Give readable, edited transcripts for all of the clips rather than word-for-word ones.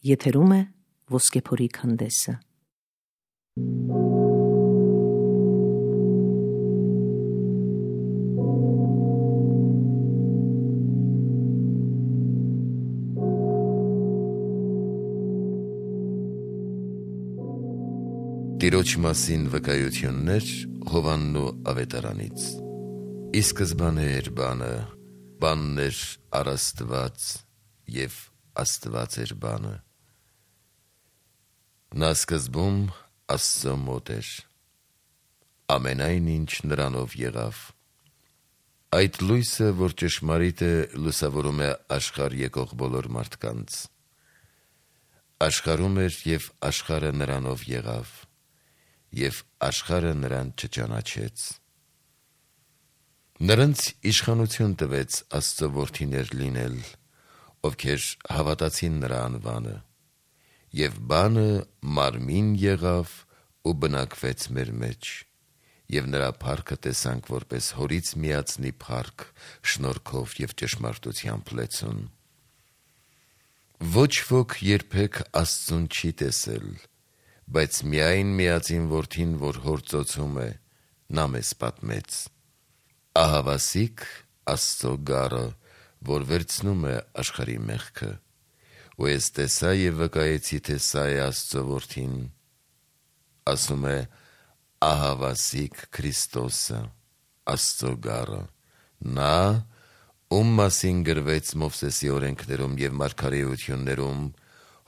Եթերում է Ոսկեփորի քանդեսը։ Տիրոջ մասին վկայություններ Հովաննու ավետարանից։ Ի սկզբանե էր բանը, բանն էր առաստված, և Աստված էր բանը։ Նա սկզբում Աստծո մոտ էր, ամենայն ինչ նրանով եղավ։ Այդ լույսը, որ ճշմարիտ է, լուսավորում է աշխարհ եկող բոլոր մարդկանց։ Աշխարհում էր, և աշխարհը նրանով եղավ, և աշխարհը նրան չճանաչեց։ Նրանց իշխանություն տվեց Աստծո որդիներ լինել, ովքեր հավատացին նրա անվանը, և բանը մարմին եղավ ու բնակվեց մեր մեջ, և նրա փառքը տեսանք որպես հորից միածնի փառք, շնորհքով և ճշմարտությամբ լեցուն։ Ոչ ոք երբեք Աստծուն չի տեսել, բայց միայն միածին որդին, որ հոր ծոցում է, նա մեզ պատմեց։ Ահավասիկ Աստծո գառը, որ վերցնում է աշխարհի մեղքը, ու ես տեսա և վկայեցի, թե սա է Աստծո որդին, ասում է ահավասիկ Քրիստոսը, Աստծո գառը, նա, ում մասին գրվեց Մովսեսի օրենքներում և մարգարեություններում,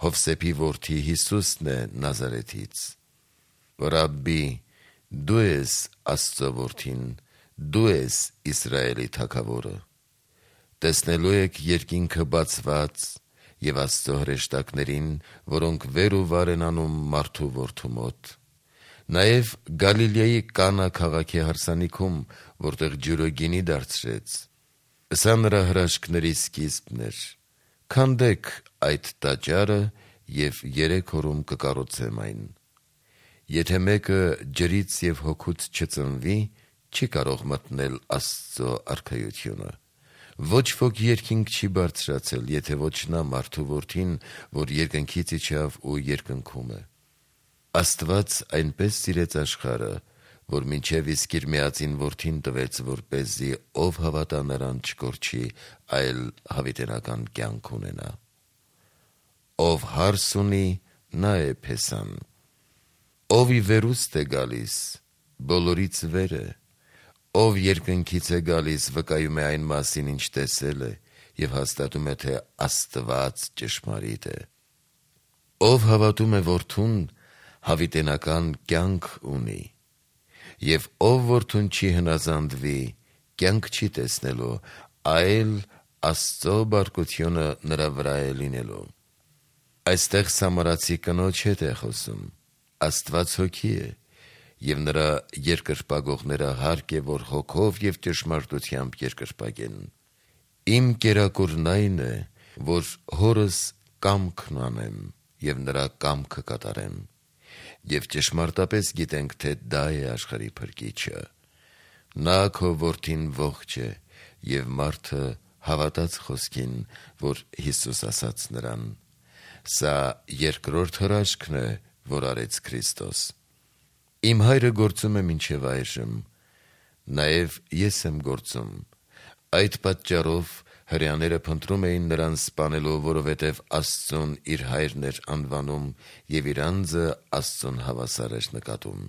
Հովսեփի որդի Հիսուսն է Նազարեթից։ Ռաբբի, դու ես Աստծո որդին, դու ես Իսրայելի թագավորը։ Տեսնելու եք երկինքը բացված և Աստծո հրեշտակներին, որոնք վեր ու վար են անում մարդու որդու մոտ։ Նաև Գալիլեայի Կանա քաղաքի հարսանիքում, որտեղ ջուրը գինի դարձրեց։ Սա նրա հրաշքների սկիզբն էր։ Քանդեք այդ տաճարը և 3 օրում կկառուցեմ այն։ Եթե մեկը ջրից և հոգուց չծնվի, չի կարող մտնել Աստծո արքայությունը։ Ոչ ոք երկինք չի բարձրացել, եթե ոչ նա մարդու որդին, որ երկնքից իջավ ու երկնքում է։ Աստված այնպես սիրեց աշխարհը, որ մինչև իսկ իր միածին որդին տվեց, որպեսզի ով հավատա նրան չկորչի, այլ հավիտենական կյանք ունենա։ Ով հարս ունի, նա է փեսան։ Ով ի վերուստ է գալիս, բոլորից վեր է։ Ով երկնքից է գալիս, վկայում է այն մասին, ինչ տեսել է, և հաստատում է, թե Աստված ճշմարիտ է։ Ով հավատում է որդուն, հավիտենական կյանք ունի, և ով որդուն չի հնազանդվի, կյանք չի տեսնելու, այլ Աստծո բարկությունը նրա վրա է լինելու։ Այստեղ սամարացի կնոջ հետ է խոսում։ Աստված հոգի է, և նրա երկրպագողները հարկ է, որ հոգով և ճշմարտությամբ երկրպագեն։ Իմ կերակուրն այն է, որ հորս կամքն անեմ և նրա կամքը կատարեմ, և ճշմարտապես գիտենք, թե դա է աշխարհի փրկիչը։ Նա քո որդին ողջ է, և մարդը հավատաց խոսքին, որ Հիսուս ասաց նրան։ Սա երկրորդ հրաշքն է, որ արեց Քրիստոս։ Իմ հայրը գործում է մինչև այժմ, նաև ես եմ գործում։ Այդ պատճառով հրեաները փնտրում էին նրան սպանելու, որովհետև Աստծուն իր հայրն էր անվանում և իր անձը Աստծուն հավասար էր նկատում։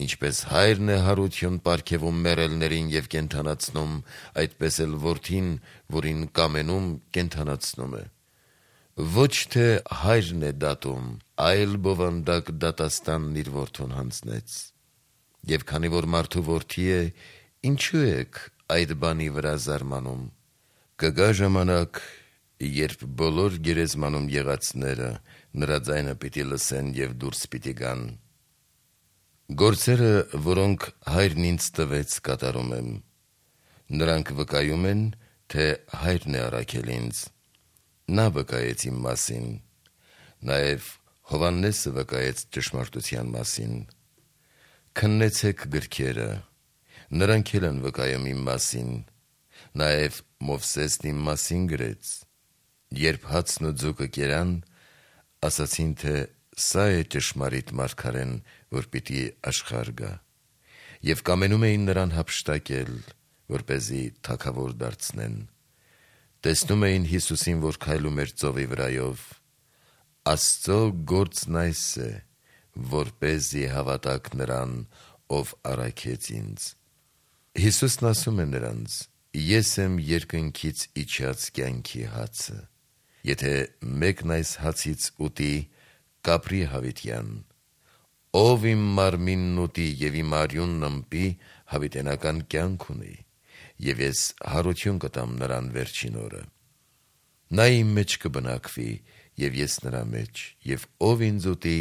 Ինչպես հայրն է հարություն պարգևում մեռելներին և կենդանացնում, այդպես էլ որդին, որին կամենում, կենդանացնում է։ Ոչ թե հայրն է դատում, այլ բովանդակ դատաստանն իր որդուն հանձնեց։ Եվ քանի որ մարդու որդի է, ինչու եք այդ բանի վրա զարմանում։ Կգա ժամանակ, երբ բոլոր գերեզմանում եղածները նրա ձայնը պիտի լսեն և դուրս պիտի գան։ Գործերը, որոնք հայրն ինձ տվեց, կատարում եմ։ Նրանք վկայում են, թե հայրն է առաքել ինձ։ Նա վկայեց իմ մասին։ Նաև Հովհաննեսը վկայեց ճշմարտության մասին։ Քննեցեք գրքերը, նրանք էլ են վկայում իմ մասին։ Նաև Մովսեսն իմ մասին գրեց։ Երբ հացն ու ձուկը կերան, ասացին, թե սա է ճշմարիտ մարգարեն, որ պիտի աշխարհ գա, եւ կամենում էին նրան հափշտակել, որպեսզի թագավոր դարձնեն։ Տեսնում էին Հիսուսին, որ քայլում էր ծովի վրայով։ Աստծո գործն այս է, որպեսզի հավատաք նրան, ով առաքեց ինձ։ Հիսուսն ասում է նրանց. ես եմ երկնքից իջած կյանքի հացը։ Եթե մեկն այս հացից ուտի, կապրի հավիտյան։ Ով իմ մարմինն ուտի եւ իմ արյունն ըմպի, հավիտենական կյանք ունի, եւ ես հարություն կտամ նրան վերջին օրը։ Նա իմ մեջ կբնակվի, եւ ես նրա մեջ, եւ ով ինձ ուտի,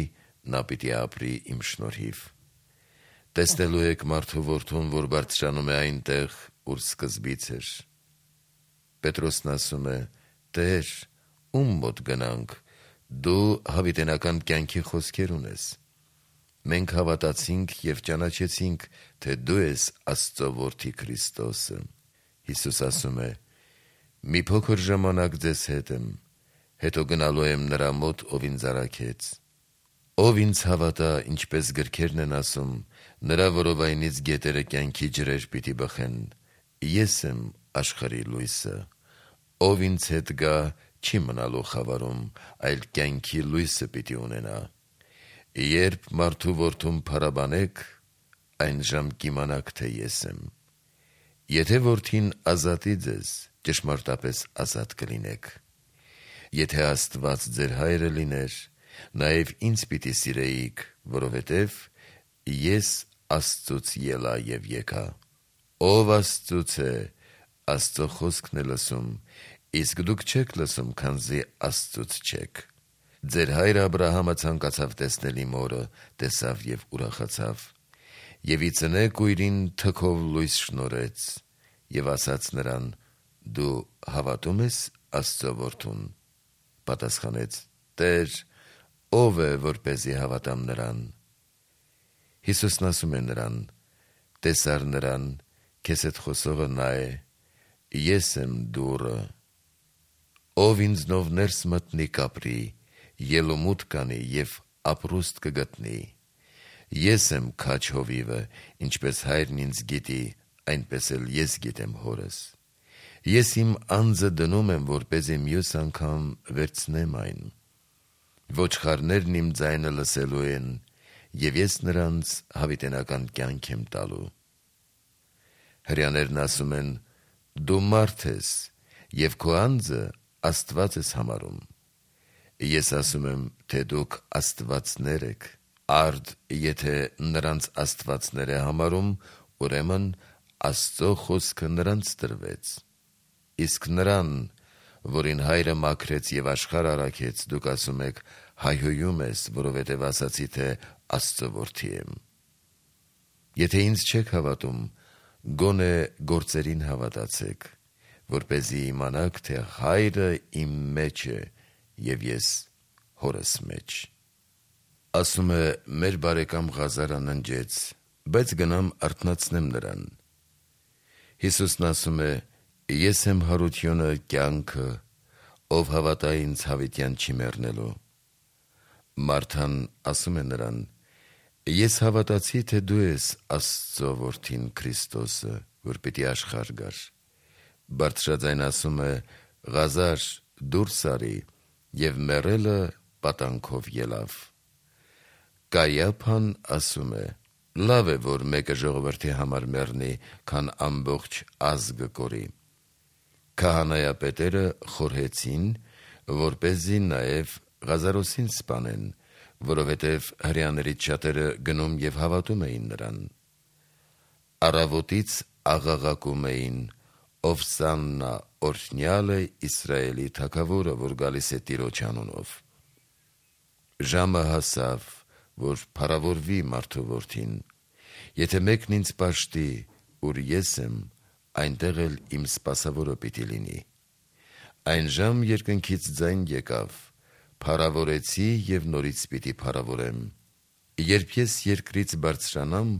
նա պիտի ապրի իմ շնորհիվ։ Տեսնելու եք մարդու որդուն, որ բարձրանում է այնտեղ, ուր սկզբից էր։ Պետրոսն ասում է. Տեր, ում մոտ գնանք, դու հավիտենական կյանքի խոսքեր ունես։ Մենք հավատացինք եւ ճանաչեցինք, թե դու ես Աստծո որդի Քրիստոսը։ Հիսուս ասում է. մի փոքր ժամանակ ձեզ հետ եմ, հետո գնալու եմ նրա մոտ, ով ինձ առաքեց։ Ով ինձ հավատա, ինչպես գրքերն են ասում, նրա որովայնից գետերը կյանքի ջրեր պիտի բխեն։ Ես եմ աշխարհի լույսը։ Ով ինձ հետ գա, չի մնալու խավարում, այլ կյանքի լույսը պիտի ունենա։ Երբ մարդու որդուն փառաբանեք, այն ժամ կիմանաք, թե ես եմ։ Եթե որդին ազատի ձեզ, ճշմարտապես ազատ կլինեք։ Եթե Աստված ձեր հայրը լիներ, նաև ինձ պիտի սիրեիք, որովհետև ես Աստծուց ելա եւ եկա։ Ով Աստծուց է, Աստծո խոսքն է լսում, իսկ դուք չեք լսում, քանզի Աստծուց չեք։ Ձեր հայր Աբրահամը ցանկացավ տեսնել իմ օրը, տեսավ եւ ուրախացավ։ Եվ ի ծնե կույրին թքով լույս շնորհեց եւ ասաց նրան. դու հավատում ես Աստծո որդուն։ Պատասխանեց. Տեր, ով է, որպեսզի հավատամ նրան։ Հիսուսն ասում է նրան. տեսար նրան, քեզ հետ խոսողը նա է, ես եմ դուռը։ Ով ինձնով ներս մտնի կապրի, ելումուտ կանի եւ ապրուստ կգտնի։ Ես եմ քաջ հովիվը, ինչպես հայրն ինձ գիտի, այնպես էլ ես գիտեմ հորս։ Ես իմ անձը դնում եմ, որպեսզի մյուս անգամ վերցնեմ այն։ Ոչխարներն իմ ձայնը լսելու են, եւ ես նրանց հավիտենական կյանք եմ տալու։ Հրեաներն ասում են. դու մարդ ես, եւ քո անձը Աստված ես համարում։ Ես ասում եմ, թե դուք աստվածներ եք։ Արդ, եթե նրանց աստվածներ է համարում, ուրեմն Աստծո խոսքը նրանց տրվեց։ Իսկ նրան, որին հայրը մաքրեց եւ աշխարհ առաքեց, դուք ասում եք հայհոյում ես, որովհետեւ ասացի, թե Աստծո որդի եմ։ Եթե ինձ չեք հավատում, գոնե գործերին հավատացեք, որպեսզի իմանաք, թե հայրը իմ մեջ է եւ ես հորս մեջ։ Ասում է մեր բարեկամ Ղազարը ննջեց, բայց գնամ արթնացնեմ նրան։ Հիսուսն ասում է. ես եմ հարությունը, կյանքը, ով հավատա ինձ հավիտյան չի մեռնելու։ Մարթան ասում է նրան. ես հավատացի, թե դու ես Աստծո որդին Քրիստոսը, որ պիտի աշխարհ գար։ Բարձրաձայն ասում է. Ղազար, դուրս արի, եւ մեռելը պատանքով ելավ։ Կայափան ասում է. լավ է, որ մեկը ժողովրդի համար մեռնի, քան ամբողջ ազգը կորի։ Քահանայապետերը խորհեցին, որպեսզի նաև Ղազարոսին սպանեն, որովհետև հրեաներից շատերը գնում եւ հավատում էին նրան։ Առավոտից աղաղակում էին. Ովսաննա, օրհնյալ է Իսրայելի թագավորը, որ գալիս է Տիրոջ անունով։ Ժամը հասավ, որ փառավորվի մարդու որդին։ Եթե մեկն ինձ պաշտի, ուր ես եմ, այնտեղ էլ իմ սպասավորը պիտի լինի։ Այն ժամ երկնքից ձայն եկավ, փառավորեցի եւ նորից պիտի փառավորեմ։ Երբ ես երկրից բարձրանամ,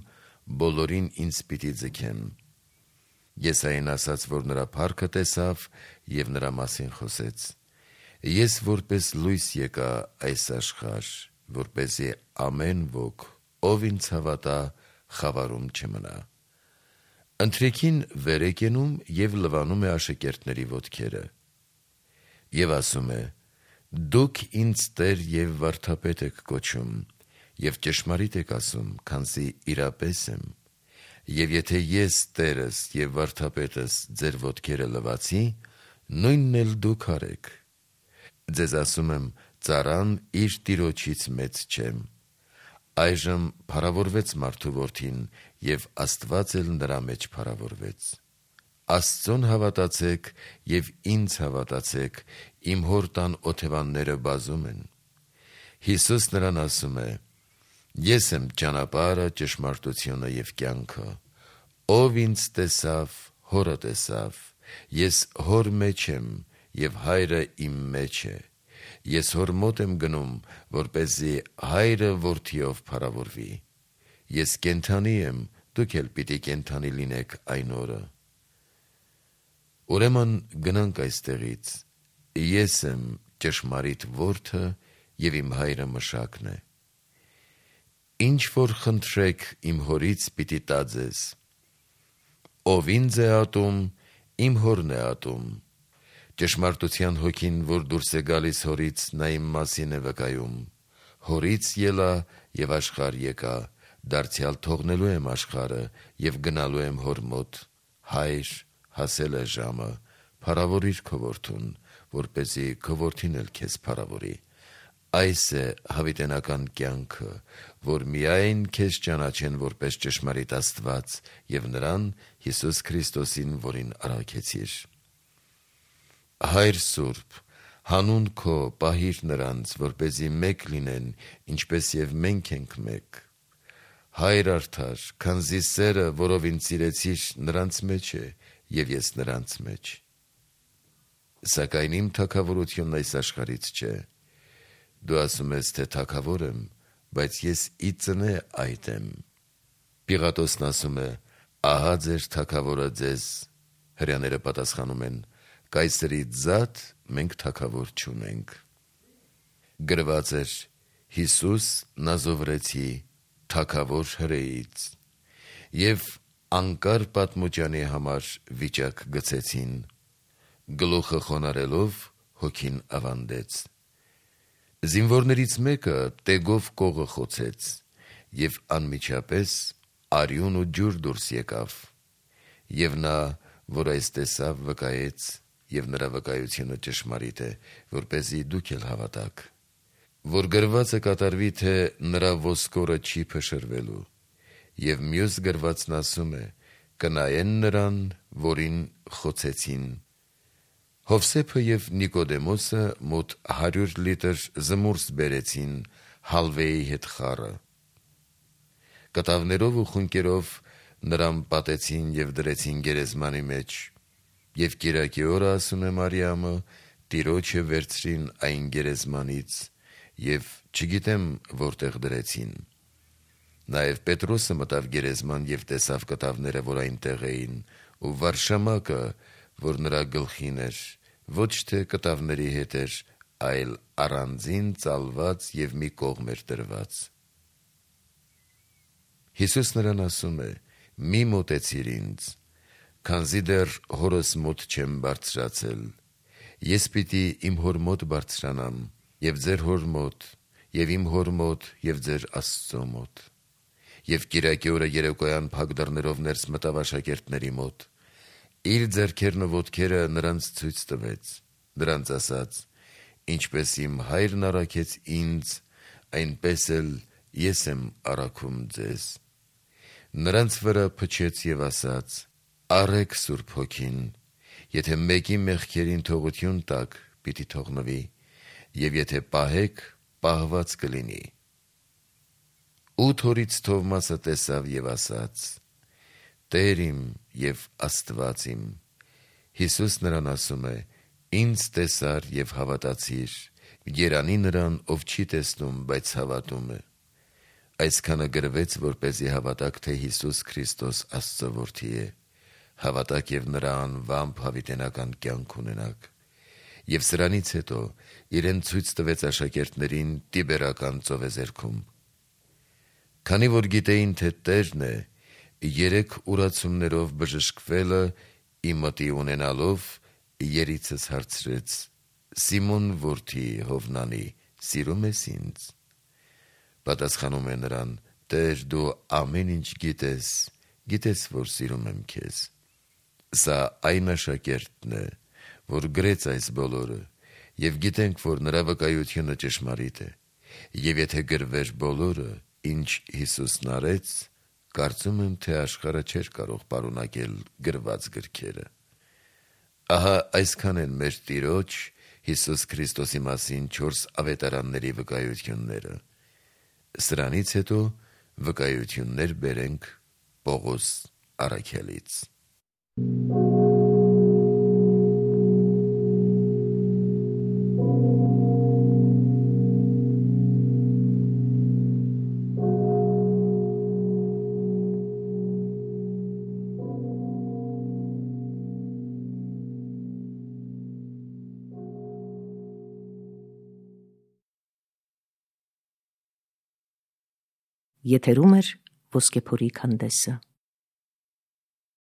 բոլորին ինձ պիտի ձգեմ։ Եսային ասաց, որ նրա փառքը տեսավ եւ նրա մասին խոսեց։ Ես որպես լույս եկա այս աշխարհ, որպեսզի ամեն ոք, ով ինձ հավատա, խավարում չմնա։ Ընթրիքին վեր է կենում և լվանում է աշակերտների ոտքերը։ Եվ ասում է. «Դուք ինձ Տեր և վարդապետ եք կոչում, և ճշմարիտ եք ասում, քանզի իրապես եմ։ Եվ եթե ես Տերս և վարդապետս ձեր ոտքերը լվացի, նույնն էլ դուք արեք։ Ձեզ ասում եմ, ծառան իր տիրոջից մեծ չէ։ Այժմ փառավորվեց մարդու որդին, և Աստված էլ նրա մեջ փառավորվեց։ Աստծուն հավատացեք և ինձ հավատացեք, իմ հոր տան օթևանները բազում են»։ Հիսուս նրան ասում է. «Ես եմ ճանապարհը, ճշմարտությունը և կյանքը։ Ով ինձ տեսավ, Հորը տեսավ։ Ես Հոր մեջ եմ, և Հայրը իմ մեջ է։ Ես Հոր մոտ եմ գնում, որպեսզի Հայրը Որդիով փառավորվի։ Ես կենդանի եմ, դուք էլ պիտի կենդանի լինեք այն օրը»։ Ուրեմն գնանք այստեղից։ Ես եմ ճշմարիտ Որդը, և իմ Հայրը Մշակն է։ Ինչ որ խնդրեք իմ Հորից, պիտի տա ձեզ։ Ով ինձ է ատում, իմ Հորն է ատում։ Ճշմարտության Հոգին, որ դուրս է գալիս Հորից, նա իմ մասին է վկայում։ Հորից ելա և աշխարհ եկա, դարձյալ թողնելու եմ աշխարհը և գնալու եմ Հոր մոտ։ Հայր, հասել է ժամը, փառավորիր քո Որդուն, որպեսզի քո Որդին էլ քեզ փառավորի։ Այս է հավիտենական կյանքը, որ միայն քեզ ճանաչեն որպես ճշմարիտ Աստված և նրան Հիսուս Քրիստոսին, որին առաքեցիր։ Հայր Սուրբ, հանուն քո պահիր նրանց, որպեսզի մեկ լինեն, ինչպես և մենք ենք մեկ։ Հայր արդար, քանզի սերը, որով ինձ սիրեցիր, նրանց մեջ է, և ես նրանց մեջ։ Սակայն իմ թագավորությունն այս աշխարհից չէ։ Դու ասում ես, թե թագավոր եմ, բայց ես ի ծնե այդ եմ։ Պիղատոսն ասում է. «Ահա ձեր թագավորը ձեզ»։ Հրեաները պատասխանում են. «Կայսրի ձատ մենք թագավոր չունենք»։ Գրված էր. Հիսուս Նազովրեցի, թագավոր հրեից։ Եվ անկար պատմուճանի համար վիճակ գցեցին։ Գլուխը խոնարհելով հոգին ավանդեց։ Զինվորներից մեկը տեգով կողը խոցեց, և անմիջապես արյուն ու ջուր դուրս եկավ։ Եվ նա, որ այս տեսավ, վկայեց, և նրա վկայությունը ճշմարիտ է, որպեսզի դուք էլ հավատաք։ Որ գրվածը կատարվի, թե նրա ոսկորը չի փշրվելու։ Եվ մյուս գրվածն ասում է. կնայեն նրան, որին խոցեցին։ Հովսեփը և Նիկոդեմոսը մոտ 100 լիտր զմուրս բերեցին հալվեի հետ խառը։ Կտավներով ու խունկերով նրան պատեցին և դրեցին գերեզմանի մեջ։ Եվ կիրակի օրը, ասում է Մարիամը, Տիրոջը վերցրին այն գերեզմանից, և չգիտեմ որտեղ դրեցին։ Նաև Պետրոսը մտավ գերեզման և տեսավ կտավները, որ այնտեղ էին, ու վարշամակը, որ նրա գլխին էր, ոչ թե կտավների հետ էր, այլ առանձին ծալված և մի կողմ էր դրված։ Հիսուս նրան ասում է. «Մի մոտեցիր ինձ, քանզի դեռ Հորս մոտ չեմ բարձրացել։ Ես պիտի իմ Հոր մոտ բարձրանամ, և ձեր Հոր մոտ, և իմ Հոր մոտ, և ձեր Աստծո մոտ»։ Եվ կիրակի օրը երեկոյան փակ դռներով ներս մտավ աշակերտների մոտ։ Իր ձեռքերն ու ոտքերը նրանց ցույց տվեց, նրանց ասաց. «Ինչպես իմ Հայրն առաքեց ինձ, այնպես էլ ես եմ առաքում ձեզ»։ Նրանց վրա փչեց և ասաց. «Առեք Սուրբ Հոգին. եթե մեկի մեղքերին թողություն տաք, պիտի թողնվի, և եթե պահեք, պահված կլինի»։ 8 օրից Թովմասը տեսավ և ասաց. «Տեր իմ և Աստված իմ»։ Հիսուս նրան ասում է. «Ինձ տեսար և հավատացիր, երանի նրան, ով չի տեսնում, բայց հավատում է»։ Այսքանը գրվեց, որպեսզի հավատաք, թե Հիսուս Քրիստոս Աստծո Որդի է, հավատաք և նրա անվամբ հավիտենական կյանք ունենաք։ Եվ սրանից հետո իրեն ցույց տվեց աշակերտներին Տիբերական ծովեզերքում։ Քանի որ գիտեին, թե Տերն է, 3 ուրացումներով բժշկվելը իմտի ունենալով երիցս հարցրեց. «Սիմոն որդի Հովնանի, սիրում ես ինձ»։ Պատասխանում է նրան. «Տեր, դու ամեն ինչ գիտես, գիտես, որ սիրում եմ քեզ»։ Սա այն աշակերտն է, որ գրեց այս բոլորը, եւ գիտենք, որ նրա վկայությունը ճշմարիտ է։ Եվ եթե գրվեր բոլորը, ինչ Հիսուսն արեց, կարծում եմ, թե աշխարհը չէր կարող պարունակել գրված գրքերը։ Ահա այսքան են մեր Տիրոջ Հիսուս Քրիստոսի մասին 4 ավետարանների վկայությունները։ Սրանից հետո վկայություններ բերենք Պողոս առաքյալից։ Եթերում է Ոսկեփորի քանդեսը։